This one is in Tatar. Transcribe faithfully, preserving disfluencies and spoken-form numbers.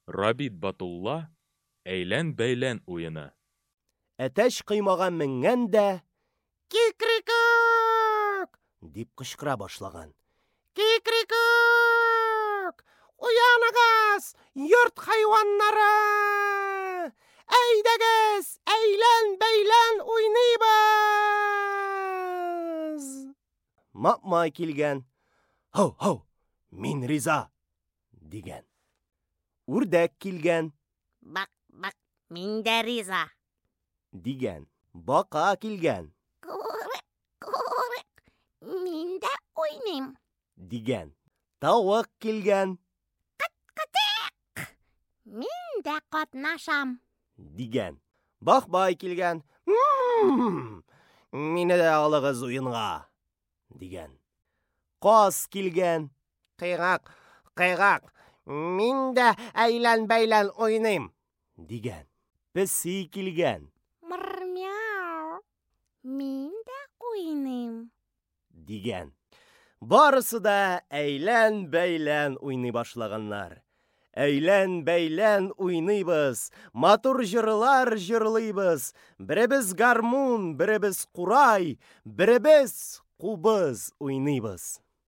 Рабит Батулла, Әйлән-бәйлән уены. Әтәч коймага менгән дә: "Кикрикүк!" – дип кычкыра башлаган. "Кикрикүк! Уяныгыз, йорт хайваннары! Әйдәгез, әйлән-бәйлән уйныйбыз!" Мапмай килгән. "Һау-һау, мин риза!" – дигән. Үрдәк килгән. Бак, бак, мин дә риза! Дигән. Бака килгән. Курык, курык, мин дә уйныйм! Дигән. Тавык килгән. Кытык! Мин дә катнашам! Дигән. Бахбай килгән. "М-м-м, Мине дә алыгыз уенга!" – дигән. Каз килгән. "Кыйгак, кыйгак, мин дә әйлән-бәйлән уйныйм!" – дигән. Песи килгән. Мыр-мяу, мин дә уйныйм! Дигән. Барысы да әйлән-бәйлән уйный башлаганнар. Әйлән-бәйлән уйныйбыз, матур җырлар җырлыйбыз, беребез гармун, беребез курай, беребез кубыз уйныйбыз.